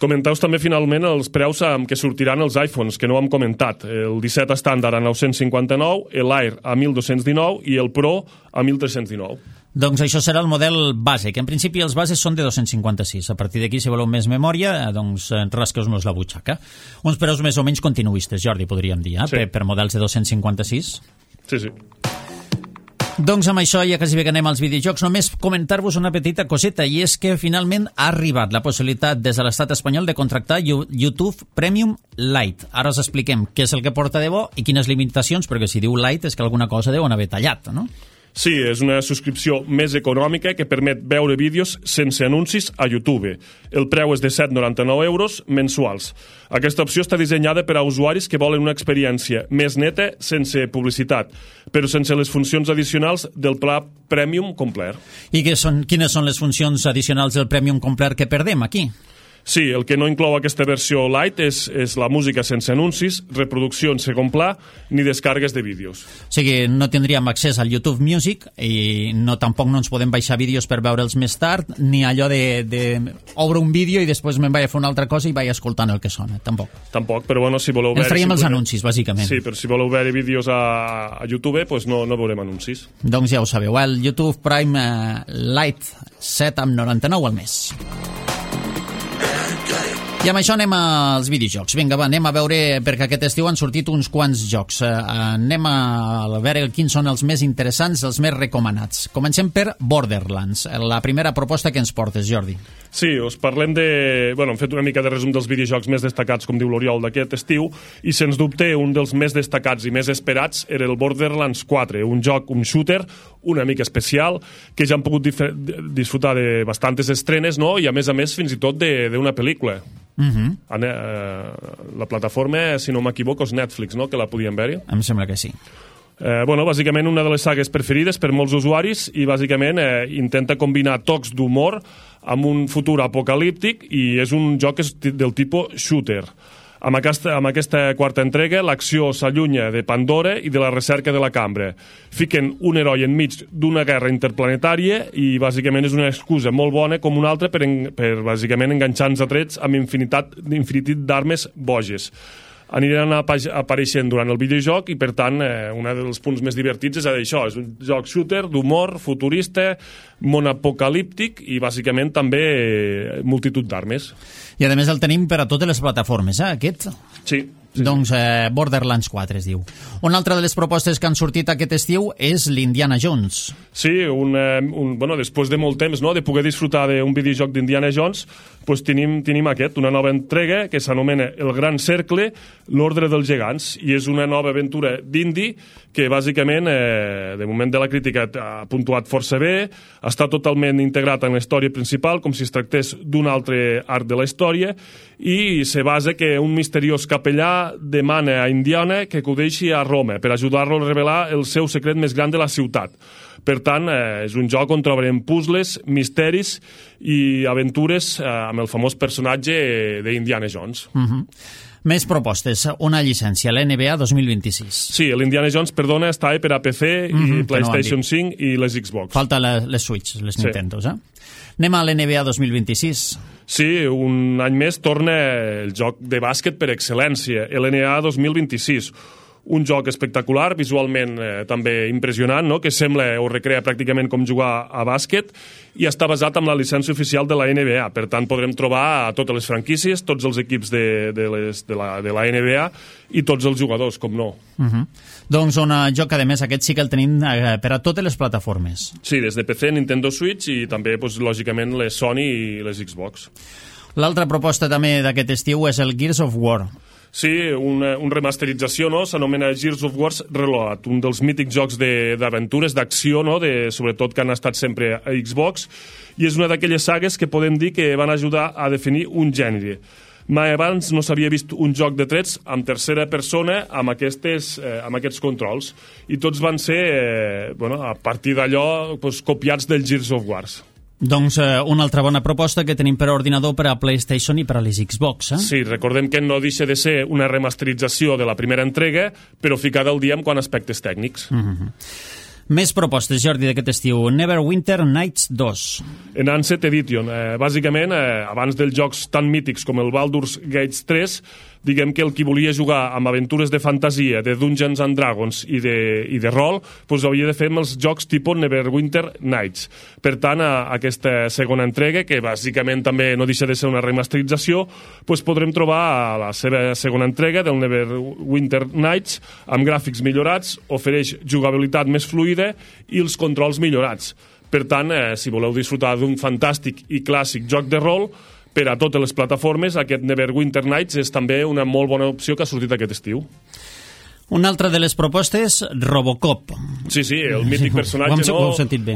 Comenteu també finalment els preus amb què sortiran els iPhones, que no hem comentat. El 17 estàndard a 959, l'Air a 1.219 i el Pro a 1.319. Doncs això serà el model base, que en principi els bases són de 256. A partir d'aquí, si voleu més memòria, doncs rasqueu-nos la butxaca. Uns preus més o menys continuistes, Jordi, podríem dir, Sí. per models de 256. Sí. Doncs amb això ja quasi bé que anem als videojocs. Només comentar-vos una petita coseta, i és que finalment ha arribat la possibilitat des de l'estat espanyol de contractar YouTube Premium Lite. Ara us expliquem què és el que porta de bo i quines limitacions, perquè si diu Lite és que alguna cosa deuen haver tallat, no? Sí, és una subscripció més econòmica que permet veure vídeos sense anuncis a YouTube. El preu és de 7,99 euros mensuals. Aquesta opció està dissenyada per a usuaris que volen una experiència més neta sense publicitat, però sense les funcions addicionals del pla Premium complet. I quines són les funcions addicionals del Premium complet que perdem aquí? Sí, el que no inclou aquesta versió Lite és la música sense anuncis, reproducció en segon pla, ni descargues de vídeos. O sigui, no tindríem accés al YouTube Music i tampoc no ens podem baixar vídeos per veure'ls més tard, ni allò de obre un vídeo i després me'n vaig a fer una altra cosa i vaig escoltant el que sona, tampoc. Tampoc, però si voleu veure... Ens traiem els anuncis, bàsicament. Sí, però si voleu veure vídeos a YouTube, doncs no veurem anuncis. Doncs ja ho sabeu, el YouTube Prime Lite 7,99 al mes. I amb això anem als videojocs. Vinga, anem a veure, perquè aquest estiu han sortit uns quants jocs. Anem a veure quins són els més interessants, els més recomanats. Comencem per Borderlands, la primera proposta que ens portes, Jordi. Sí, us parlem de... hem fet una mica de resum dels videojocs més destacats, com diu l'Oriol, d'aquest estiu, i sens dubte un dels més destacats i més esperats era el Borderlands 4, un joc, un shooter, una mica especial, que ja han pogut disfrutar de bastantes estrenes, no? I a més, fins i tot d'una pel·lícula. La plataforma, si no m'equivoco, és Netflix, no?, que la podien veure. Em sembla que sí. Bàsicament una de les sagues preferides per molts usuaris i bàsicament intenta combinar tocs d'humor amb un futur apocalíptic i és un joc del tipus shooter. Amb aquesta quarta entrega, l'acció s'allunya de Pandora i de la recerca de la cambra. Fiquen un heroi enmig d'una guerra interplanetària i bàsicament és una excusa molt bona com una altra per bàsicament enganxar-nos a trets amb infinitat d'armes boges. Aniran apareixent durant el videojoc i, per tant, un dels punts més divertits és això, és un joc shooter d'humor, futurista, món apocalíptic i, bàsicament, també multitud d'armes. I, a més, el tenim per a totes les plataformes, aquest? Sí. Doncs Borderlands 4 es diu. Una altra de les propostes que han sortit aquest estiu és l'Indiana Jones. Sí, després de molt temps, no?, de poder disfrutar d'un videojoc d'Indiana Jones, doncs tenim una nova entrega que s'anomena El Gran Cercle, l'Ordre dels Gegants, i és una nova aventura d'indie que bàsicament, de moment de la crítica, ha puntuat força bé, està totalment integrat en la història principal, com si es tractés d'un altre arc de la història, i se basa que un misteriós capellà demana a Indiana que acudeixi a Roma per ajudar-lo a revelar el seu secret més gran de la ciutat. Per tant, és un joc on trobarem puzzles, misteris i aventures amb el famós personatge d'Indiana Jones. Més propostes, una llicència, l'NBA 2026. Sí, l'Indiana Jones, està per a PC i PlayStation 5 i les Xbox. Falta les Switch, les Nintendos, Anem a l'NBA 2026. Sí, un any més torna el joc de bàsquet per excel·lència, l'NBA 2026. un joc espectacular, visualment també impressionant, no? Que sembla o recrea pràcticament com jugar a bàsquet, i està basat en la llicència oficial de la NBA. Per tant, podrem trobar a totes les franquícies, tots els equips de la NBA i tots els jugadors, com no. Doncs un joc, a més, aquest sí que el tenim per a totes les plataformes. Sí, des de PC, Nintendo Switch i també, lògicament, les Sony i les Xbox. L'altra proposta també d'aquest estiu és el Gears of War. Sí, una remasterització, no? S'anomena Gears of War Reloaded, un dels mítics jocs d'aventures, d'acció, no? Sobretot que han estat sempre a Xbox, i és una d'aquelles sagues que podem dir que van ajudar a definir un gènere. Mai abans no s'havia vist un joc de trets en tercera persona amb aquests controls, i tots van ser, a partir d'allò, copiats del Gears of War. Doncs una altra bona proposta que tenim per a ordinador, per a PlayStation i per a les Xbox. Sí, recordem que no deixa de ser una remasterització de la primera entrega, però ficada al dia amb quant aspectes tècnics. Més propostes, Jordi, d'aquest estiu. Neverwinter Nights 2. Enhanced Edition. Bàsicament, abans dels jocs tan mítics com el Baldur's Gate 3, diguem que el qui volia jugar amb aventures de fantasia, de Dungeons and Dragons i de rol, havia de fer amb els jocs tipus Neverwinter Nights. Per tant, aquesta segona entrega, que bàsicament també no deixa de ser una remasterització, podrem trobar la seva segona entrega del Neverwinter Nights amb gràfics millorats, ofereix jugabilitat més fluida i els controls millorats. Per tant, si voleu disfrutar d'un fantàstic i clàssic joc de rol, per a totes les plataformes, aquest Neverwinter Nights és també una molt bona opció que ha sortit aquest estiu. Una altra de les propostes, Robocop. Sí, el mític personatge,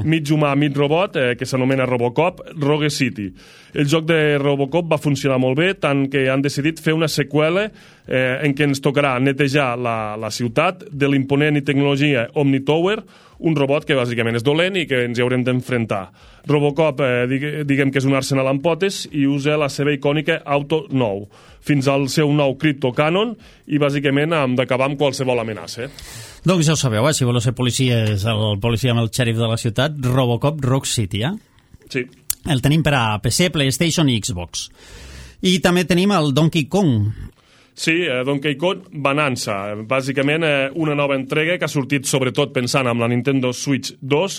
mig humà, mig robot, que s'anomena Robocop, Rogue City. El joc de Robocop va funcionar molt bé, tant que han decidit fer una seqüela en què ens tocarà netejar la ciutat de l'imponent i tecnologia Omnitower, un robot que bàsicament és dolent i que ens hi haurem d'enfrontar. Robocop, diguem que és un arsenal amb potes i usa la seva icònica Auto 9, fins al seu nou Crypto Cannon, i bàsicament hem d'acabar amb qualsevol amenaça. Doncs ja ho sabeu, si voleu ser policies, el policia amb el xèrif de la ciutat, Robocop Rogue City, Sí. El tenim per a PC, PlayStation i Xbox. I també tenim el Donkey Kong. Sí, Donkey Kong Bonanza, bàsicament una nova entrega que ha sortit sobretot pensant en la Nintendo Switch 2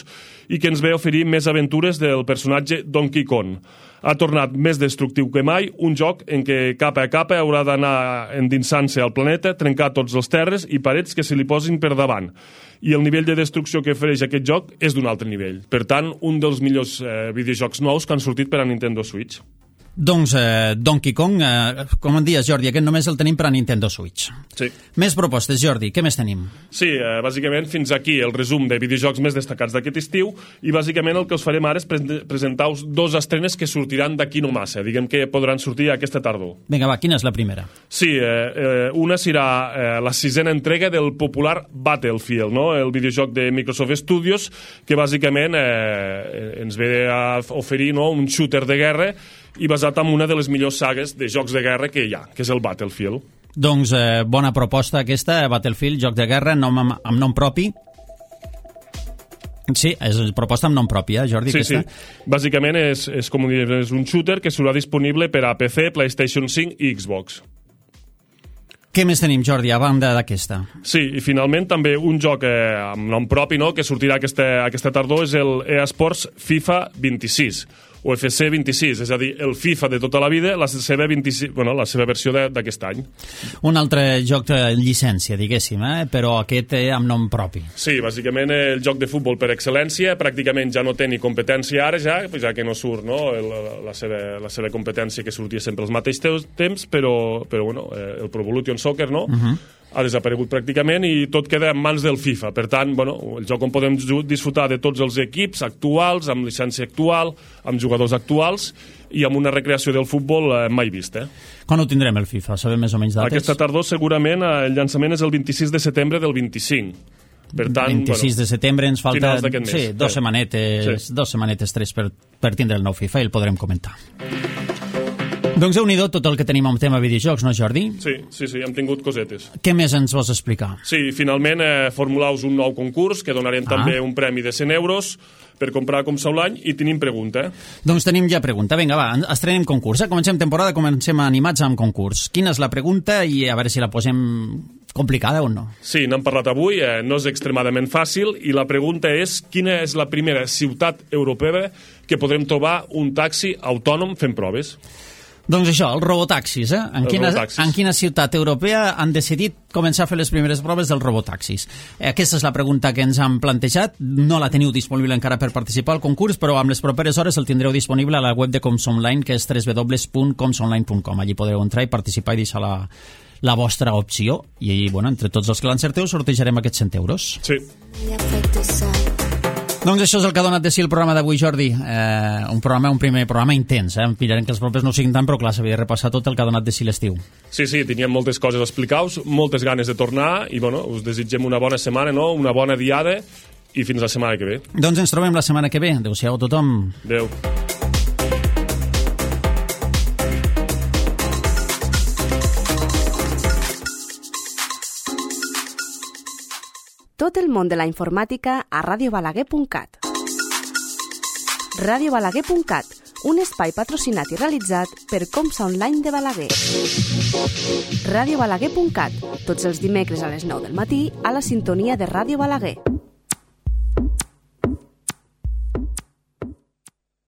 i que ens ve a oferir més aventures del personatge Donkey Kong. Ha tornat més destructiu que mai, un joc en què capa a capa haurà d'anar endinsant-se al planeta, trencar tots els terres i parets que se li posin per davant. I el nivell de destrucció que ofereix aquest joc és d'un altre nivell. Per tant, un dels millors videojocs nous que han sortit per a Nintendo Switch. Doncs Donkey Kong, com em dies, Jordi, aquest només el tenim per a Nintendo Switch. Sí. Més propostes, Jordi, què més tenim? Sí, bàsicament fins aquí el resum de videojocs més destacats d'aquest estiu, i bàsicament el que us farem ara és presentar-vos dos estrenes que sortiran d'aquí no massa, diguem que podran sortir aquesta tardor. Vinga, va, quina és la primera? Sí, una serà la 6a entrega del popular Battlefield, no? El videojoc de Microsoft Studios, que bàsicament ens ve a oferir, no, un shooter de guerra i basat en una de les millors sagues de jocs de guerra que hi ha, que és el Battlefield. Doncs bona proposta aquesta, Battlefield, joc de guerra, amb nom propi. Sí, és proposta amb nom propi, Jordi, aquesta? Sí. Bàsicament és com dir, és un shooter que serà disponible per a PC, PlayStation 5 i Xbox. Què més tenim, Jordi, a banda d'aquesta? Sí, i finalment també un joc amb nom propi, no?, que sortirà aquesta tardor, és el EA Sports FIFA 26, o FC 26, és a dir, el FIFA de tota la vida, la seva versió d'aquest any. Un altre joc de llicència, diguéssim, però aquest amb nom propi. Sí, bàsicament el joc de futbol per excel·lència, pràcticament ja no té ni competència ara, ja que no surt, no?, la seva competència que sortia sempre als mateixos temps, però el Pro Evolution Soccer, no?, ha desaparegut pràcticament i tot queda en mans del FIFA. Per tant, el joc on podem disfrutar de tots els equips actuals, amb llicència actual, amb jugadors actuals i amb una recreació del futbol mai vista. Quan ho tindrem, el FIFA? Sabem més o menys dates? Aquesta tardor, segurament, el llançament és el 26 de setembre del 25. Per tant, 26 de setembre ens falta dos setmanetes, sí. 2 setmanetes, 3 per tindre el nou FIFA i el podrem comentar. Doncs déu-n'hi-do tot el que tenim en tema videojocs, no, Jordi? Sí, hem tingut cosetes. Què més ens vols explicar? Sí, finalment formuleu un nou concurs que donarem també un premi de 100 euros per comprar com Sa l'any i tenim pregunta. Doncs tenim ja pregunta. Vinga, va, estrenem concurs. Comencem temporada, comencem animats amb concurs. Quina és la pregunta i a veure si la posem complicada o no? Sí, n'hem parlat avui, no és extremadament fàcil i la pregunta és quina és la primera ciutat europea que podrem trobar un taxi autònom fent proves? Doncs això, els robotaxis, En quina ciutat europea han decidit començar a fer les primeres proves dels robotaxis? Aquesta és la pregunta que ens han plantejat. No la teniu disponible encara per participar al concurs, però amb les properes hores el tindreu disponible a la web de Comsonline, que és www.comsonline.com. Allí podreu entrar i participar i deixar la vostra opció. I, bueno, entre tots els que l'encerteu sortejarem aquests 100 euros. Sí. Doncs això és el que ha donat de si el programa d'avui, Jordi. Un primer programa intens. Pillarem que els propers no siguin tant, però clar, s'havia de repassar tot el que ha donat de si l'estiu. Sí, teníem moltes coses a explicar-vos, moltes ganes de tornar i bueno, us desitgem una bona setmana, no? Una bona diada i fins la setmana que ve. Doncs ens trobem la setmana que ve. Adéu-siau a tothom. Adéu. Tot el món de la informàtica a radiobalaguer.cat. Radiobalaguer.cat, un espai patrocinat i realitzat per Comsa Online de Balaguer. Radiobalaguer.cat, tots els dimecres a les 9 del matí a la sintonia de Ràdio Balaguer.